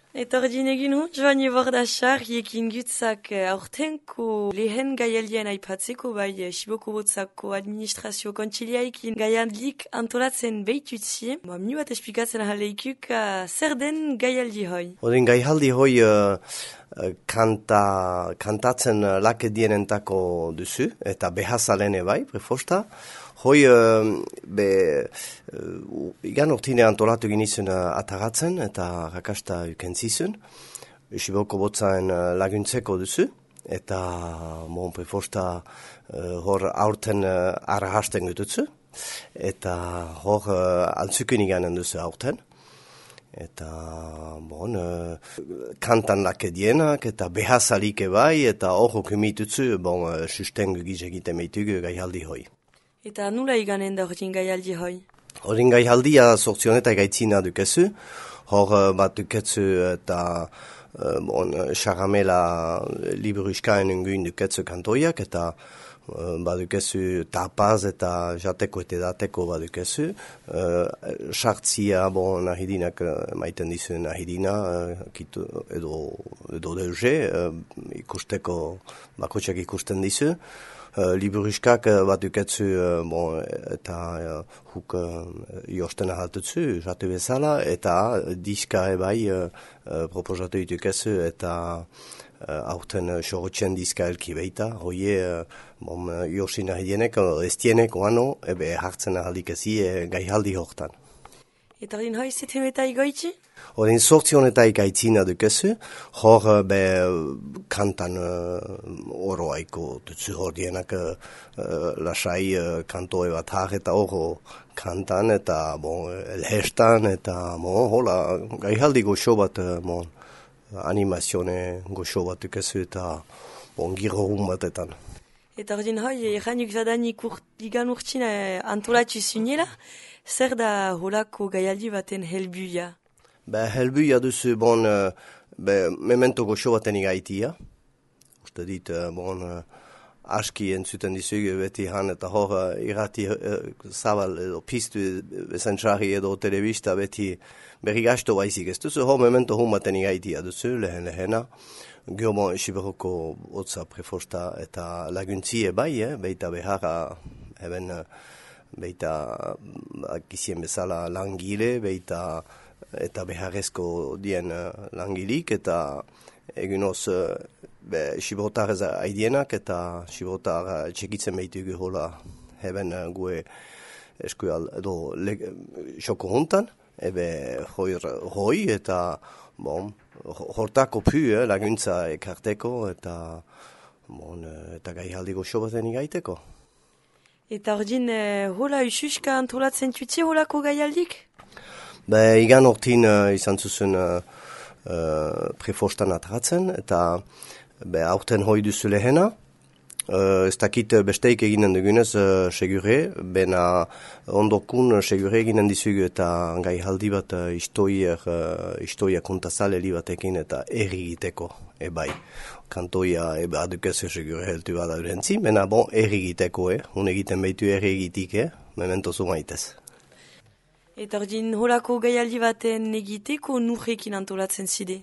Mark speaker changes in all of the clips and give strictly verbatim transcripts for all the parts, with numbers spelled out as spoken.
Speaker 1: Eta ordin egin hu, joan ebordasar, ekin gutzak aurtenko lehen gaialdien aipatzeko bai Siboko botzako administrazio kontsiliaikin gaialdik antolatzen behitutzi. Minu bat esplikatzen ahaleikuk zer den gaialdi hoi?
Speaker 2: Odin gaialdi hoi uh, kanta, kantatzen lakedienentako duzu, eta behazalene bai, prefosta. Hoi, uh, be, uh, igan urtine antolatu ginizun uh, ataratzen eta rakasta ukentzizun. Siboko botzaen uh, laguntzeko duzu. Eta, mon prefosta, uh, hor aurten uh, arahasten gututzu. Eta hor uh, altzukun iganen duzu aurten. Eta, bon, uh, kantan lakedienak eta behazalik bai eta hor okumitutzu, bon, uh, sustengu gizegite meitugu gaialdi hoi.
Speaker 1: Eta nula iganen da horretin gaialdi hoi?
Speaker 2: Horretin gaialdia sortzionetak gaitzina dukezu. Hor bat dukezu eta uh, bon, Charamela liburuskaen unguin dukezu kantoiak eta uh, bat dukezu tapaz eta jateko eta dateko bat dukezu. Sartzia uh, bon, nahidinak maiten dizu nahidina uh, kitu, edo, edo deuze uh, ikusteko bakotxak ikusten dizu. Uh, Liburuskak uh, bat duketzu uh, bon, eta uh, huk uh, josten ahaltutzu, jatu bezala, eta diska ebai uh, uh, proposatu ditukezu eta uh, aurten uh, sorotxen diska elki beita. Hoie, uh, bon, uh, josin ahidienek, uh, estienek oano, ebe hartzen ahaldik ezi uh, gaihaldi hortan.
Speaker 1: Eta hori hoi zetem eta igoitzi?
Speaker 2: Hori sortzionetaik aitzina dukezu, hor be kantan uh, oroaiko dutzu hor dienak uh, lasai uh, kantoe bat har eta oro kantan eta bon, elhestan eta bon, hola gaihaldi goxo bat uh, bon, animazione goxo bat dukezu eta bon, giro hun batetan.
Speaker 1: Eta hori hoi, erranuk zadanik igan urtsina antolatzu zunela, zer da holako gaialdi baten helbuia?
Speaker 2: Be, helbuia duzu, bon, uh, be, memento goxo baten igaitia. Uste dit, uh, bon, uh, aski entzuten dizugu beti han eta hor uh, irati uh, zabal edo piztu bezantxarri edo telebista beti berri gasto baizik ez duzu, hor memento hun baten igaitia duzu, lehen lehena. Gio, bon, Siberoko otza prefosta eta laguntzie bai, eh, beita beharra, eben, uh, beita akizien bezala langile, beita eta beharrezko dien uh, langilik, eta egunoz uh, Siberotar ez aidienak, eta Siberotar uh, txekitzen behitugu hola heben uh, gue eskual edo xoko hontan, ebe hoi, hoi eta bon, hortako pu eh, laguntza ekarteko, eta, bon, eta gaihaldi goxo baten igaiteko.
Speaker 1: Eta ordin, eh, hola ususka antolatzen tutzi holako gaialdik?
Speaker 2: Be, igan hortin uh, izan zuzen uh, uh, prefostan atratzen, eta be, aurten hoi duzu lehena. Uh, ez dakit besteik eginen dugunez uh, segure, bena ondokun uh, segure eginen dizugu eta gaihaldi bat uh, istoier, uh, istoia kontazaleli batekin eta errigiteko, ebai. Kantoia eba adukezu segure heltu bada urentzi, bena bon errigiteko, eh? Hun egiten behitu errigitik, eh? Memento zumaitez.
Speaker 1: Eta ordin holako gaialdi baten egiteko nurrekin antolatzen zide?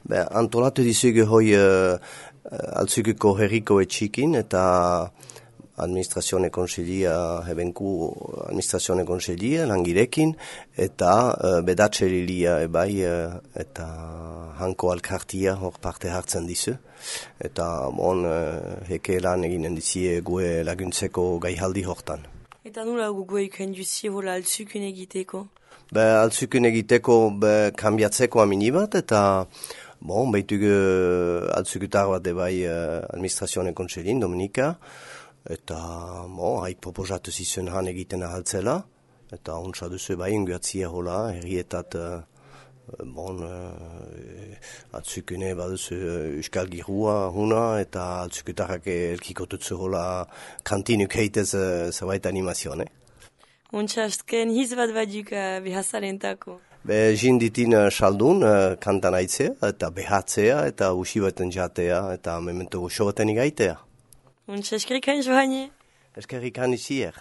Speaker 2: Be, antolatu dizugu hoi uh, altzuguko herriko etxikin eta administrazione konselia, hebenku administrazione konselia, langirekin, eta uh, bedatzelilia ebai uh, eta hanko alkartia hor parte hartzen dizu. Eta bon, uh, heke lan eginen dizie gue laguntzeko gaihaldi hortan.
Speaker 1: Eta nula gugu eken duzi hola altzukun egiteko?
Speaker 2: Be, altzukun egiteko be, kambiatzeko amini bat, eta bon, behitugu altzukutar bat ebai uh, administrazione kontselin, Dominika, eta bon, haik proposatu zizun han egiten ahaltzela, eta ontsa duzu bai inguatzia hola, herrietat uh, bon, uh, altzukune baduzu uh, euskal girua huna, eta altzukutarrak elkikotutzu hola kantinuk heitez uh, zerbait animazione.
Speaker 1: Ontsa azken hiz bat baduk uh, behazalentako?
Speaker 2: Be, jinditin uh, saldun uh, kantan aitzea, eta behatzea, eta usi baten jatea, eta memento goxo baten igaitea.
Speaker 1: Ontsa eskerrikan joanie?
Speaker 2: Eskerrikan izier.